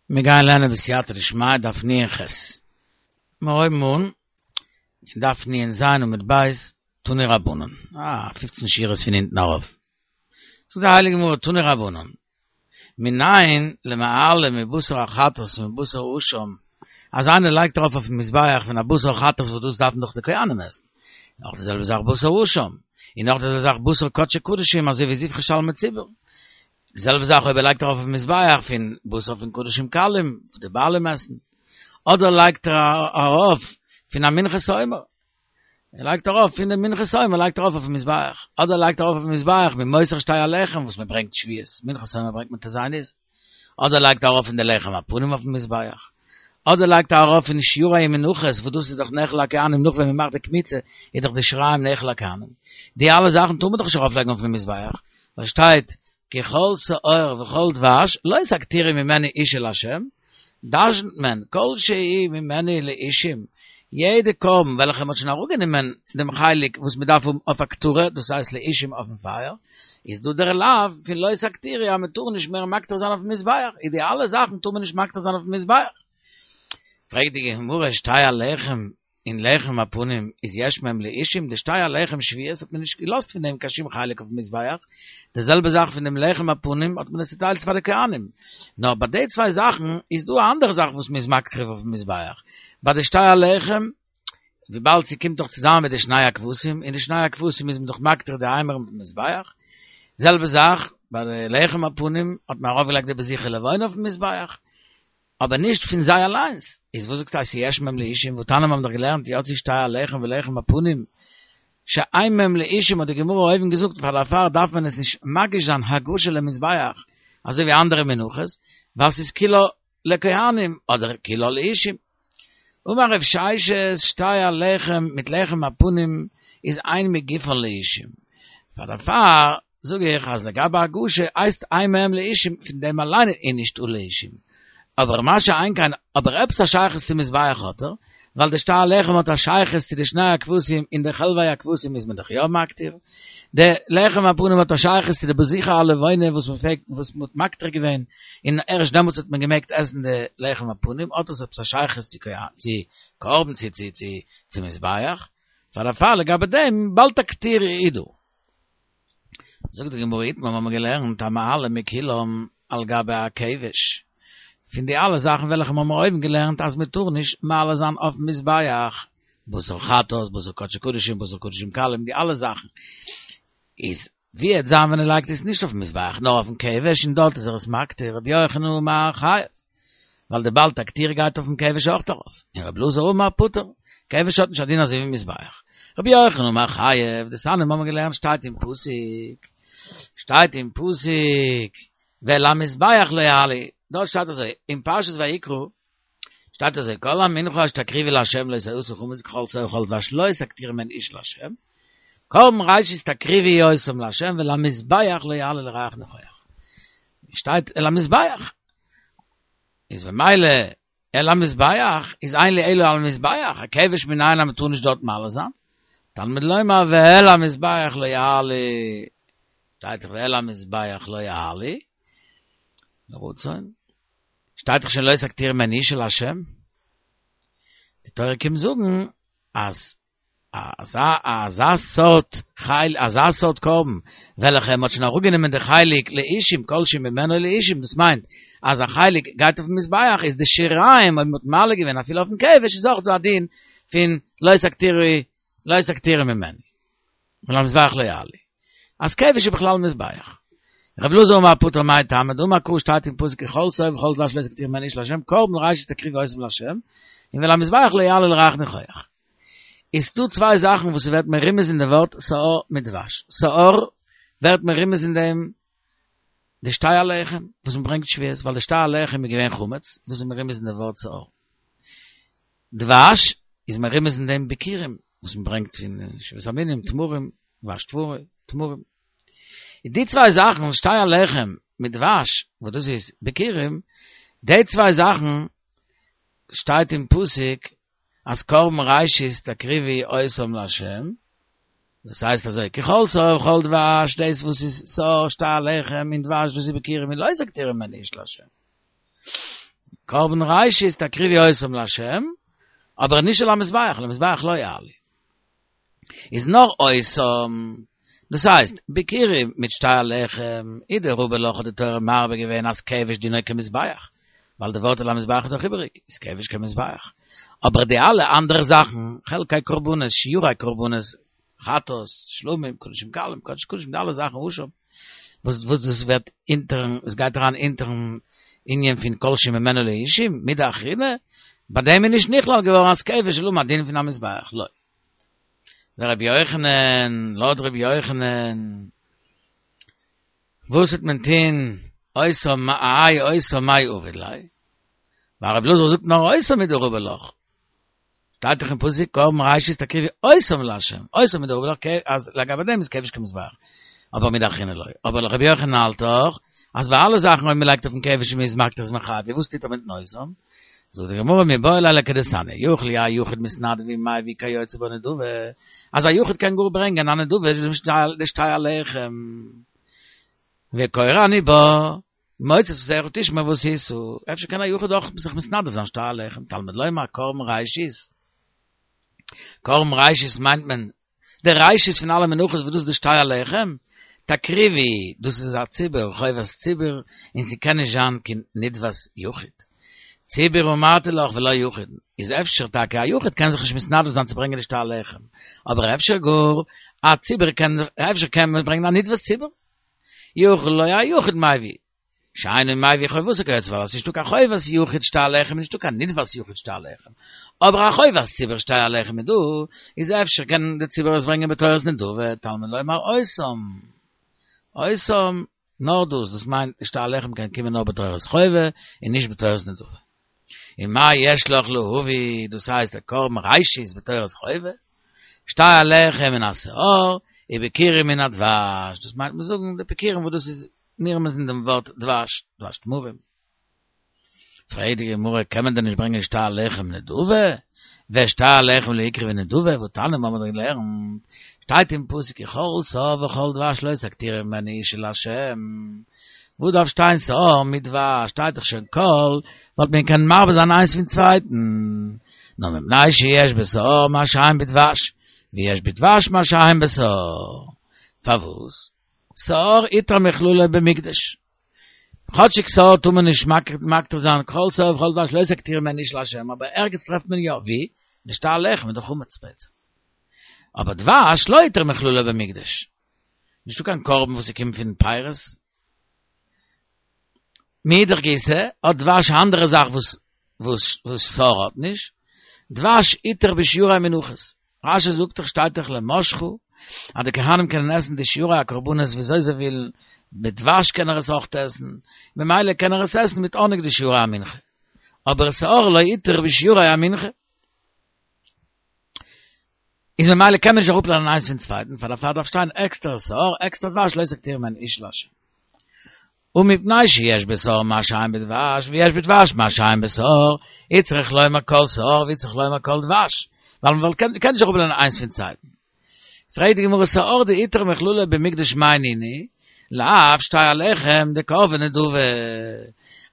מיר גייען לערנען בסייעתא דשמיא דף נ"ח. מיר הויבן אן אין דף נ"ז עמוד ב', תנו רבנן. אה, פופצן שורות פון אונטן ארויף. זאגט די הייליגע גמרא תנו רבנן, מנין למעלה מבשר החטאת ומבשר האשם, אז איינער לייגט ארויף אויפן מזבח פון א בשר חטאת וואס דאס דארפן דאך די כהנים עסן, נאך די זעלבע זאך בשר אשם, און נאך די זעלבע זאך בשר קדשי קדשים אזוי ווי זבחי שלמי ציבור. די זעלבע זאך אויב ער לייגט ארויף אויפן מזבח פון בשר פון קדשים קלים וואס די בעלים עסן, אדער לייגט ער ארויף פון א מנחת עומר, ער לייגט ארויף פון די מנחת עומר לייגט ער ארויף אויפן מזבח, אדער לייגט ער ארויף אויפן מזבח ממותר שתי הלחם וואס מען ברענגט שבועות, מנחת עומר ברענגט מען ט"ז ניסן, אדער לייגט ער ארויף פון די לחם הפנים אויפן מזבח, אדער לייגט ער ארויף פון שיריים מנחות וואס דאס איז דאך נאכל לכהנים נאך ווען מען מאכט די קמיצה איז דאך די שיריים נאכל לכהנים, די אלע זאכן טאר מען דאך נישט ארויף לייגן אויפן מזבח, ווייל שטייט כי כל שאור וכל דבש לא תקטירו ממנו אשה לה', דרשנ'ט מען כל שהוא ממנו לאישים, יעדע קרבן וועלכע מ'האט שוין אראפגענומען דעם חלק וואס מ'דארף האבן אויף הקטרה, דאס הייסט לאישים אויפן פייער, איז דא דער לאו פון לא תקטירו אז מ'טאר נישט מער מקטיר זיין אויפן מזבח, איז די אלע זאכן טאר מען נישט מקטיר זיין אויפן מזבח. פרעגט די גמרא שתי הלחם און לחם הפנים איז יש מהם לאישים, די שתי הלחם שבועות האט מען נישט געלאזט פון דעם קיין שום חלק אויפן מזבח, די זעלבע זאך פון דעם לחם הפנים האט מען עס צוטיילט פאר די כהנים, נאר ביי די צוויי זאכן איז דא א אנדערע זאך וואס מען איז מקריב אויפן מזבח, ביי די שתי הלחם וויבאלד ס'קומט דאך צוזאמען מיט די שני הכבשים, און די שני הכבשים איז מען דאך מקטיר די אימורים אויפן מזבח, זעלבע זאך ביי די לחם הפנים האט מען ארויפגעלייגט די בזיכי לבונה אויפן מזבח, אבער נישט פון זיי אליינס, איז וואס זאגסטו אז יש מהם לאישים, והתניא מיר האבן דאך געלערנט יצאו שתי הלחם ולחם הפנים שאין מהם לאישים האט די גמרא אויבן געזאגט פאר דערפאר דארף מען עס נישט מגיש זיין הגשה למזבח אזוי ווי אנדערע מנחות ווייל ס'איז כולה לכהנים אדער כולה לאישים. אמר רב ששת שתי הלחם מיט לחם הפנים איז אין מגופן לאישים פאר דערפאר זאג איך אז לגבי הגשה הייסט אין מהם לאישים פון דעם אליין איז נישטא לאישים, אבער מה שאין כן אבער עפעס א שייכות צום מזבח האט ער, ווייל די שתי הלחם האט א שייכות צו די שני הכבשים און די חלבי הכבשים איז מען דאך יא מקטיר, די לחם הפנים האט א שייכות צו די בזיכי הלבונה וואס מען פלעגט וואס מען האט מקטיר געווען און ערשט דעמאלטס האט מען געמעגט עסן די לחם הפנים האט עס עפעס א שייכות צו צו קרבן צו צו צו צו מזבח, פאר דערפאר לגבי דעם בל תקטירו איז דא. זאגט די גמרא איתמר האבן מיר געלערנט המעלה מכולם על גבי הכבש, פון די אלע זאכן וועלכע מיר האבן אויבן געלערנט אז מען טאר נישט מעלה זיין אויפן מזבח, בשר חטאת, בשר קדשי קדשים, בשר קדשים קלים, די אלע זאכן, איז ווי עט זיין ווען ער לייגט עס נישט אויפן מזבח נאר אויפן כבש און דארט איז ער עס מקטיר, רבי יוחנן אמר חייב, ווייל די בל תקטירו גייט אויפן כבש אויך ארויף, און רבי אלעזר אמר פטור, כבש האט נישט א דין אזוי ווי מזבח. רבי יוחנן אמר חייב, דתניא מיר האבן געלערנט שטייט אין פסוק, שטייט אין פסוק, ואל המזבח לא יעלו, דארט שטייט אזוי, אין פרשת ויקרא, שטייט אזוי, כל המנחה אשר תקריבו לה' לא תעשה חמץ ככל שאור וכל דבש לא תקטירו ממנו אשה לה', קרבן ראשית תקריבו אותם לה' ואל המזבח לא יעלה לריח ניחוח. שטייט אל המזבח. איז במילא אל המזבח איז אין לי אלא על המזבח, א כבש מנין אז מ'טאר נישט דארט מעלה זיין? תלמוד לומר ואל המזבח לא יעלו, שטייט דאך ואל המזבח לא יעלו, לרצון, שטייט דאך שוין לא תקטירו ממנו אשה לה', די תורה קומט זאגן אז אזא אזא סארט חל אזא סארט קרבן וועלכע מ'האט שוין אראפגענומען די חלק לאישים כל שהוא ממנו לאישים דאס מיינט אז א חלק גייט אויפן מזבח איז די שיריים אויב מ'האט מעלה געווען אפילו אויפן כבש איז אויך דא א דין פון לא תקטירו לא תקטירו ממנו ואל המזבח לא יעלו אז כבש איז בכלל מזבח. רבי אלעזר אמר פטור מאי טעמא דאמר קרא שטייט אין פסוק כי כל שאור וכל דבש לא תקטירו ממנו אשה לה' קרבן ראשית תקריבו אותם לה' און ואל המזבח לא יעלו לריח ניחוח. איז דא צוויי זאכן וואס ס'ווערט מרומז אין די ווארט שאור מיט דבש. שאור ווערט מרומז אין דעם די שתי הלחם וואס מ'ברענגט שבועות, ווייל די שתי הלחם איז געווען חמץ, דאס איז מרומז אין די ווארט שאור. דבש איז מרומז אין דעם ביכורים וואס מ'ברענגט פון שבעת המינים, תמרים, דבש תמרים. איז די צוויי זאכן שתי הלחם מיט דבש וואס דאס איז ביכורים, די צוויי זאכן שטייט אין פסוק אז קרבן ראשית תקריבו אותם לה', דאס הייסט אזוי, כי כל שאור וכל דבש, דאס וואס איז שאור שתי הלחם און דבש וואס איז ביכורים און לא תקטירו ממנו אשה לה'. קרבן ראשית תקריבו אותם לה', אבער נישט על המזבח, על המזבח לא יעלו. איז נאר אותם, דאס הייסט, ביכורים מיט שתי הלחם, איז דרבי לך האט די תורה מרבה געווען אז כבש דינו כמזבח, ווייל די ווארט על המזבח איז דאך איבעריג, איז כבש כמזבח. אבער די אלע אנדערע זאכן, חלקי קרבנות, שיורי קרבנות, חטאת, שלמים, קדשים קלים, קדש קדשים, די אלע זאכן אשם, וואס וואס דאס ווערט אונטערן, עס גייט אריין אונטערן ענין פון כל שממנו לאישים, מידי אחרינא, ביי דעם איז נישט נכלל געווארן אז כבש זאל האבן א דין פון א מזבח, לא. ורבי יוחנן, לויט רבי יוחנן, וואס וועט מען טוהן אותם האי אותם מאי עביד ליה? ווייל רבי אלעזר זאגט נאר אותם הוא דרבי לך. שטייט דאך אין פסוק קרבן ראשית תקריבו אותם לה', אותם הוא דרבי לך, אז לגבי דעם איז כבש כמזבח, אבער מידי אחרינא לא. אבער רבי יוחנן האלט דאך אז ביי אלע זאכן אויב מען לייגט אויפן כבש און מען איז מקטיר איז מען חייב, וואס טוט ער מיטן אותם? זאגט די גמרא מיבעי ליה לכדתניא, יכול יהא יחיד מתנדב ומביא כיוצא בו נדבה, אז א יחיד קען גאר ברענגען א נדבה דשתי הלחם, וקורא אני בה, ממוצא שפתיך תשמע ועשית, אפשר קען א יחיד אויך זיך מתנדב זיין שתי הלחם, תלמוד לומר קרבן ראשית, קרבן ראשית מיינט מען די ראשית פון אלע מנחות וואס דאס איז די שתי הלחם, תקריבו, דאס איז א ציבור, חובת ציבור, און ס'קען נישט זיין קיין נדבת יחיד. ציבור אמרתי לך ולא יחיד, איז אפשר טאקע א יחיד קען זיך נישט מתנדב זיין צו ברענגען די שתי הלחם, אבער אפשר גאר א ציבור קען, אפשר קען מען ברענגען א נדבת ציבור. יכול לא יהא יחיד מביא, שאינו מביא חובתו כיוצא בה, ווייל ס'נישטא קיין חובת יחיד שתי הלחם, נישטא קיין נדבת יחיד שתי הלחם, אבער א חובת ציבור שתי הלחם איז דא, איז אפשר קען די ציבור עס ברענגען בתורת נדבה, תלמוד לומר אותם, אותם, נאר דאס, דאס מיינט די שתי הלחם קען קומען נאר בתורת חובה און נישט בתורת נדבה. און מה יש לך להביא, דאס הייסט דער קרבן ראשית בתורת חובה, שתי הלחם מן השאור, וביכורים מן הדבש, דאס מיינט מיר זאגן די ביכורים וואס דאס איז נרמז אין דעם ווארט דבש, דבש תמרים. פרעגט די גמרא, קען מען דען נישט ברענגען שתי הלחם נדבה? ושתי הלחם לא יקרבו נדבה, והתניא מיר האבן דאך געלערנט, שטייט אין פסוק כי כל שאור וכל דבש לא תקטירו ממנו אשה לה', וואס דארף שטיין שאור מיט דבש, שטייט דאך שוין כל, וואלט מען קענען מרבה זיין איינס פון צווייטן, נאר מפני שיש בשאור מה שאין בדבש, ויש בדבש מה שאין בשאור. פארוואס? שאור הותר מכללו במקדש. כאטשיג שאור טאר מען נישט מקטיר זיין כל שאור וכל דבש לא תקטירו ממנו אשה לה', אבער ערגעץ טרעפט מען יא, ווי? די שתי הלחם איז דאך חמץ בעצם. אבער דבש לא הותר מכללו במקדש. נישטא קיין קרבן וואס ס'קומט פון פירות. מאידך גיסא האט דבש א אנדערע זאך וואס וואס שאור האט נישט, דבש הותר בשיורי מנחות, רש"י זאגט דאך שטייט דאך למשחה אז די כהנים קענען עסן די שיורי הקרבנות וויאזוי זיי ווילן, מיט דבש קען ער עס אויך עסן, ממילא קען ער עס עסן מיט האניג די שיורי המנחה, אבער שאור לא הותר בשיורי המנחה. איז ממילא קען מען נישט אראפלערנען איינס פון צווייטן, פאר דערפאר דארף שטיין עקסטער שאור, עקסטער דבש, לא תקטירו ממנו אשה לה'. ומפני שיש בשאור מה שאין בדבש, ויש בדבש מה שאין בשאור, הוצרך לומר כל שאור והוצרך לומר כל דבש, ווייל מען קען נישט אראפלערנען איינס פון צווייטן. פרעגט די גמרא שאור דהותר מכללו במקדש מאי נינהו, לאו שתי הלחם דקרבי נדבה,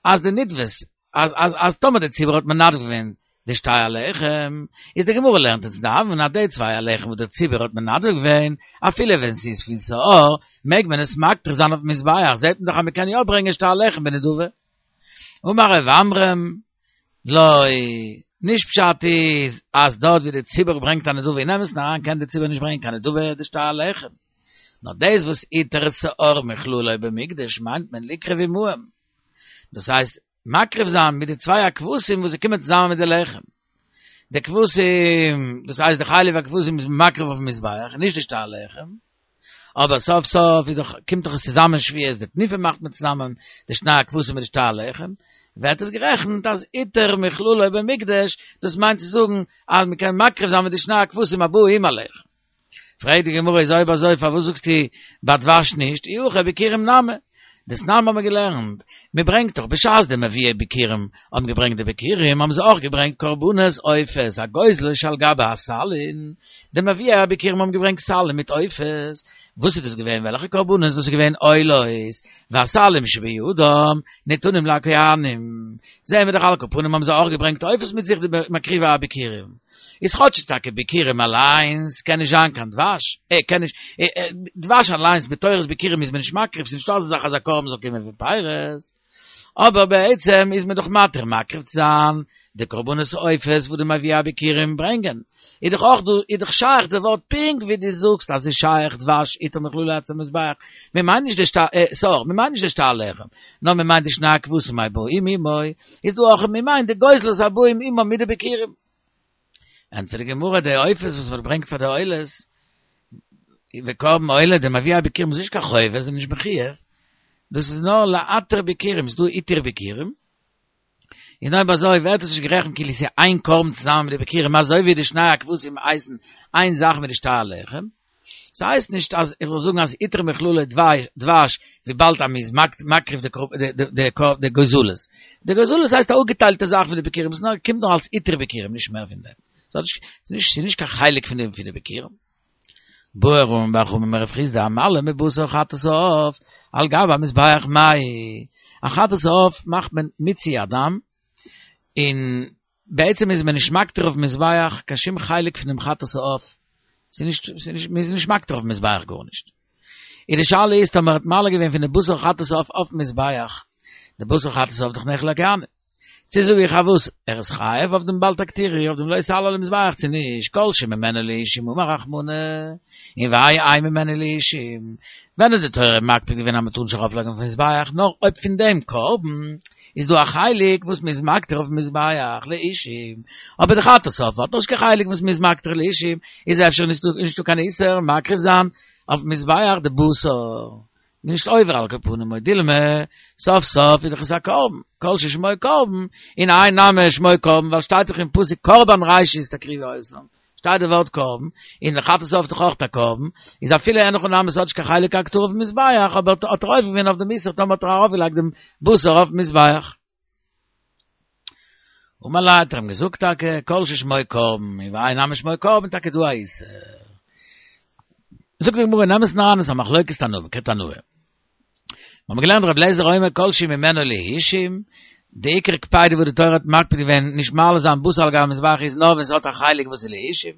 אז די נדבות אז אז אז טאמער די ציבור האט מנדב געווען די שתי הלחם, איז די גמרא לערנט אונז דא אז די צוויי הלחם וואס דער ציבור האט מנדב געווען, אפילו ווען ס'איז פון שאור, מעג מען עס מקטיר זיין אויפן מזבח, זעט מען דאך אז מ'קען יא ברענגען שתי הלחם בנדבה. אמר רב עמרם, לא, נישט פשט איז אז דארט ווי די ציבור ברענגט א נדבה אין אמת'ן אריין קען די ציבור נישט ברענגען קיין נדבה די שתי הלחם, נאר דאס וואס הותר שאור מכללו במקדש מיינט מען לקרב עמהם, דאס הייסט מקריב זיין מיט די צוויי הכבשים וואס זיי קומען צוזאמען מיט די לחם. די כבשים, דאס הייסט די חלב הכבשים איז מען מקריב אויפן מזבח, נישט די שתי הלחם. אבער סוף סוף איז דאך, קומט דאך עס צוזאמען שבועות, די תנופה מאכט מען צוזאמען, די שני הכבשים מיט די שתי הלחם, ווערט עס גערעכנט אז הותר מכללו במקדש, דאס מיינט צו זאגן אז מען קען מקריב זיין מיט די שני הכבשים הבאו עם הלחם. פרעגט די גמרא איז אויב אזוי פארוואס זאגסטו ביי דבש נישט, אי הכי ביכורים נמי? דתנן האבן מיר געלערנט, מען ברענגט דאך בשעת די מביאי ביכורים האבן געברענגט די ביכורים האבן זיי אויך געברענגט קרבנות עופות הגוזלות שעל גבי הסלין, די מביאי הביכורים האבן געברענגט סלים מיט עופות, וואס איז דאס געווען וועלכע קרבנות דאס איז געווען עולות, והסלים שבידם ניתנים לכהנים, זעהן מיר דאך על כל פנים האבן זיי אויך געברענגט עופות מיט זיך די מקריבי הביכורים. איז כאטש טאקע ביכורים אליינס קען נישט זיין קיין דבש, אה קען נישט, דבש אליינס בתורת ביכורים איז מען נישט מקריב, ס'איז נישטא אזא זאך אז א קרבן זאל קומען פון פירות, אבער בעצם איז מען דאך מתיר מקריב צו זיין די קרבנות עופות וואס די מביאי הביכורים ברענגען, איז דאך אויך דא איז דאך שייך די ווארט פונקט ווי דו זאגסט אז ס'איז שייך דבש הותר מכללו עצם מזבח, מען מיינט נישט די שתי שעור, מען מיינט נישט די שתי הלחם, נאר מען מיינט די שני הכבשים הבאים עמו, איז דא אויך מען מיינט די גוזלות הבאים עמו מיט די ביכורים. ענטפערט די גמרא די עופות וואס מען ברענגט פאר די עולות, וקרבן עולה די מביאי הביכורים איז נישט קיין חובה, זיי נישט מחויב, דאס איז נאר להתיר ביכורים, ס'איז דא עיטור ביכורים, און אויב אזוי ווערט עס נישט גערעכנט כאילו ס'איז איין קרבן צוזאמען מיט די ביכורים אזוי ווי די שני הכבשים הייסן איין זאך מיט די שתי הלחם. ס'הייסט נישט אז איך זאל זאגן אז הותר מכללו דבש וויבאלד אז מ'איז מקריב די גוזלות. די גוזלות הייסט א אפגעטיילטע זאך פון די ביכורים, ס'נאר קומט נאר אלס עיטור ביכורים נישט מער פון דעם. ס'איז נישט קיין חלק פון די ביכורים. בעי רמי בר חמא מרב חסדא המעלה מבשר חטאת העוף על גבי המזבח מהו, א חטאת העוף מאכט מען מיצוי הדם, און בעצם איז מען נישט מקטיר אויפן מזבח קיין שום חלק פון דעם חטאת העוף, ס'איז נישט, ס'איז נישט, מ'איז נישט מקטיר אויפן מזבח גארנישט. און די שאלה איז טאמער האט מעלה געווען פון די בשר חטאת העוף אויפן מזבח, די בשר חטאת העוף דאך נאכל לכהנים. צו זאג איך אז וואס, ער איז חייב אויף דעם בל תקטירו, אויף דעם לא תעלה על המזבח צו נישט, כל שממנו לאישים אמר רחמנא, און והאי אין ממנו לאישים, ווען האט די תורה מקפיד געווען אז מען טאר נישט ארויף לייגן אויפן מזבח, נאר אויב פון דעם קרבן איז דא א חלק וואס מען איז מקטיר אויפן מזבח לאישים, אבער די חטאת העוף האט נישט קיין חלק וואס מען איז מקטיר לאישים, איז אפשר נישטא קיין איסור מקריב זיין אויפן מזבח די בשר. נישט עובר על כל פנים או דילמא, סוף סוף איז דאך עס א קרבן, כל ששמו קרבן, און האי נמי שמו קרבן, ווייל שטייט דאך אין פסוק קרבן ראשית תקריבו אותם, שטייט די ווארט קרבן, און די חטאת העוף איז דאך אויך א קרבן, איז אפילו אין הכי נמי ס'האט נישט קיין חלק הקטרה אויפן מזבח, אבער האט ער עובר געווען אויף דעם איסור טאמער האט ער ארויפגעלייגט דעם בשר אויפן מזבח. אמר ליה האט ער אים געזאגט טאקע כל ששמו קרבן און והאי נמי שמו קרבן טאקע דא א איסור. זאגט די גמרא אין אמת'ן אריין איז א מחלוקת תנאים כתנאי. מיר האבן געלערנט רבי אליעזר אומר כל שהוא ממנו לאישים, די עיקר קפידה וואס די תורה האט מקפיד געווען נישט מעלה זיין בשר על גבי המזבח איז נאר ווען ס'האט א חלק וואס איז לאישים,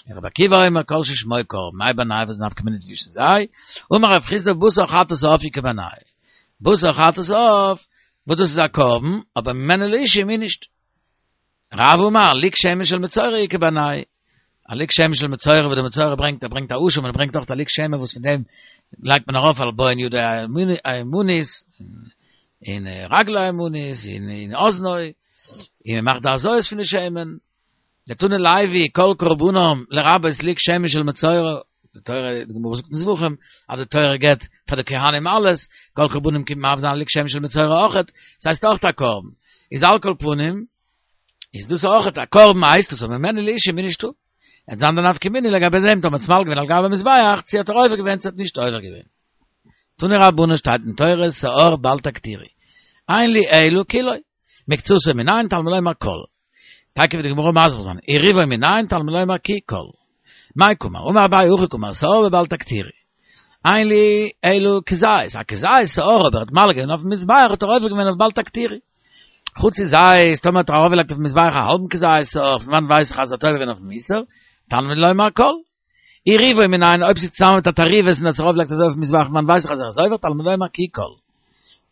און רבי עקיבא אומר כל ששמו קרבן, מאי בינייהו וואס איז נפקא מינה צווישן זיי? אמר רב חסדא בשר חטאת העוף איכא בינייהו. בשר חטאת העוף וואס דאס איז א קרבן, אבער ממנו לאישים איז נישט. רב אמר, לוג שמן של מצורע איכא בינייהו. א לוג שמן של מצורע וואס דער מצורע ברענגט, ער ברענגט א אשם און ער ברענגט אויך א לוג שמן וואס פון דעם לייגט מען ארויף על בוהן ידו הימנית, און רגלו הימנית, און אזנו, און מען מאכט די הזאות פון די שמן. דתני לוי כל קרבנם לרבות לוג שמן של מצורע, די תורה, די גמרא זאגט אין זבחים, אז די תורה געבט פאר די כהנים אלעס, כל קרבנם קומט מרבה זיין לוג שמן של מצורע אויכעט, ס'הייסט אויכט א קרבן, איז על כל פנים, איז דאס אויכעט א קרבן הייסט עס, אבער ממנו לאישים איז נישטא. וועט זיין די נפקא מינה לגבי דעם טאמער ס'איז מעלה געווען על גבי מזבח, צו האט ער עובר געווען צו האט נישט עובר געווען. תנו רבנן שטייט אין תורה שאור בל תקטירו. אין לי אלא כולו. מקצתו מנין תלמוד לומר כל. טאקע וועט די גמרא מסביר זיין, ורובו מנין תלמוד לומר כי כל. מאי קאמר, אמר אביי הכי קאמר, שאור בבל תקטירו. אין לי אלא כזית, א כזית שאור אויב ער האט מעלה געווען אויפן מזבח האט ער עובר געווען אויף בל תקטירו. חצי זית, טאמער האט ער ארויפגעלייגט אויפן מזבח א האלבן כזית שאור, פון וואנעט ווייס איך אז ער האט עובר געווען אויפן איסור? תלמוד לומר כל. ורובו מנין, אויב ס'איז צוזאמען מיט א תערובת און האט עס ארויפגעלייגט אזוי אויפן מזבח פון וואנעט ווייס איך אז ער איז עובר? תלמוד לומר כי כל.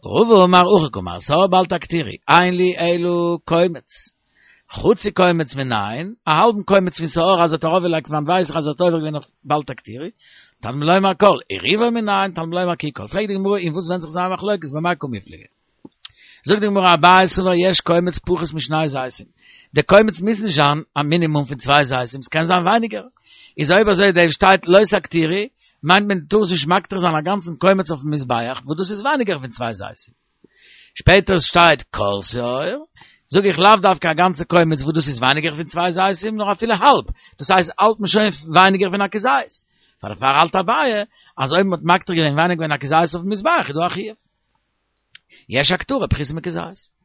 רבא אמר הכי קאמר, שאור בל תקטירו, אין לי אלא קומץ. חצי קומץ מנין, א האלבן קומץ פון שאור אז ער האט ארויפגעלייגט פון וואנעט ווייס איך אז ער האט עובר געווען אויף בל תקטירו, תלמוד לומר כל, ורובו מנין, תלמוד לומר כי כל. פרעגט די גמרא אין וואס ווענדט זיך זייער מחלוקת, במאי קמיפלגי? זאגט די גמרא אביי סבר יש קומץ פחות משני זיתים, די קומץ מוז נישט זיין א מינימום פון צוויי זיתים, ס'קען זיין ווייניגער, איז אויב אזוי דא שטייט לא תקטירו, מיינט מען דו טארסט נישט מקטיר זיין א גאנצן קומץ אויפן מזבח, וואס דאס איז ווייניגער פון צוויי זיתים. שפעטער שטייט כל שאור, זאג איך לאו דווקא א גאנצע קומץ וואס דאס איז ווייניגער פון צוויי זיתים, נאר אפילו האלב, דאס הייסט האלט מען שוין ווייניגער פון א כזית. פאר דערפאר האלט אביי אז אויב מ'האט מקטיר געווען ווייניגער פון א כזית אויפן מזבח איז דא א חיוב. יש הקטרה פחותה מכזית.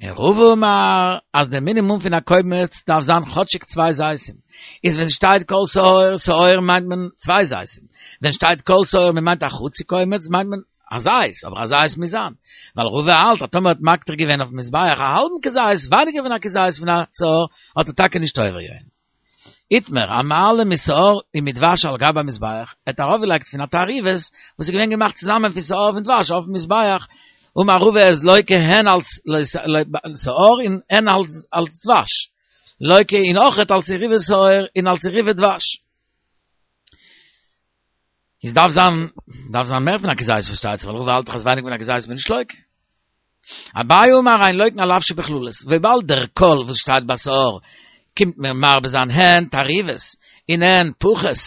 און רבא אמר אז דער מינימום פון א קומץ דארף זיין כאטשיג צוויי זיתים, איז ווען שטייט כל שאור שאור מיינט מען צוויי זיתים, ווען שטייט כל שאור מען מיינט א חצי קומץ מיינט מען א זית, אבער א זית מוז זיין, ווייל רבא האלט אז טאמער האט מקטיר געווען אויפן מזבח א האלבן כזית ווייניגער פון א כזית פון א שאור האט ער טאקע נישט עובר געווען. איתמר, המעלה משאור ומדבש על גבי המזבח, ער האט ארויפגעלייגט פון א תערובת וואס איז געווען געמאכט צוזאמען פון שאור און דבש אויפן מזבח, אמר רבא איז לוקה הן אלס שאור און הן אלס דבש, לוקה און אויכעט אלס תערובת שאור און אלס תערובת דבש. איז דארף זיין, דארף זיין מער פון א כזית פארשטייט זיך, ווייל רבא האלט דאך אז ווייניגער פון א כזית איז מען נישט לוקה. אביי אמר אין לוקין על לאו שבכללות, וויבאלד דער כל וואס שטייט ביי שאור קומט מיר מרבה זיין הן תערובת און הן פחות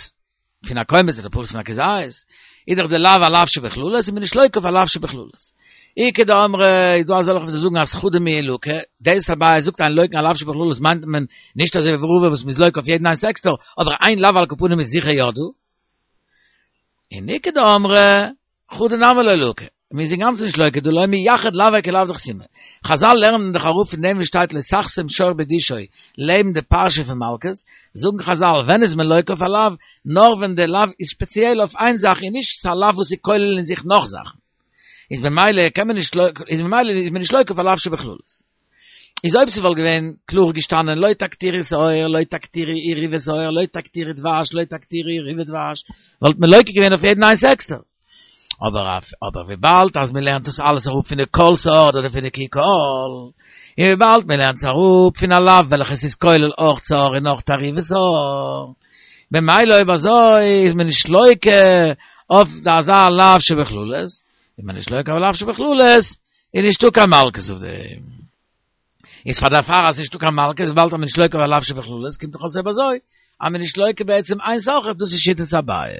פון א קומץ אדער פחות פון א כזית, איז דאך די לאו א לאו שבכללות איז מען נישט לוקה אויף א לאו שבכללות. איכא דאמרי איז דא אזעלכע וואס זאגן אז חדא מיהא לקי, דאס אביי זאגט אין לוקין על לאו שבכללות מיינט מען נישט אזוי ווי רבא וואס מ'איז לוקה אויף יעדן איינס עקסטער, אבער איין לאו על כל פנים איז זיכער יא דא. און איכא דאמרי חדא נמי לא לקי, מ'איז אינגאנצן נישט לוקה דהא לא מייחד לאוי כלאו דחתימא. חזל לערנען דאך אראפ פון דעם וואס שטייט לא תחסום שור בדישו לעבן די פרשה פון מלקות, זאגן חזל ווען איז מען לוקה אויף א לאו, נאר ווען די לאו איז שפעציעל אויף איין זאך און נישט ס'א לאו וואס איז כולל אין זיך נאך זאכן. איז במילא קען מען נישט איז ממילא איז מען נישט לוקה אויף א לאו שבכללות. איז אויב ס'וואלט געווען קלאר געשטאנען לא תקטירו שאור לא תקטירו תערובת שאור לא תקטירו דבש לא תקטירו תערובת דבש וואלט מען לוקה געווען אויף יעדן איינס עקסטער. אבער אבער וויבאלד אז מ'לערנט דאס אלעס אראפ פון די כל שאור אדער פון די כי כל, און וויבאלד מ'לערנט עס אראפ פון א לאו וועלכעס איז כולל אויך שאור און אויך תערובת שאור, במילא אויב אזוי איז מען נישט לוקה אויף אזא לאו שבכללות, איז מען נישט לוקה אויף לאו שבכללות, איז נישטא קיין מלקות אויף דעם. איז פאר דערפאר אז נישטא קיין מלקות וויבאלד אז מען נישט לוקה אויף א לאו שבכללות קומט דאך אויס אויב אזוי אז מען נישט לוקה בעצם איינס אויך דאס איז שיטת אביי.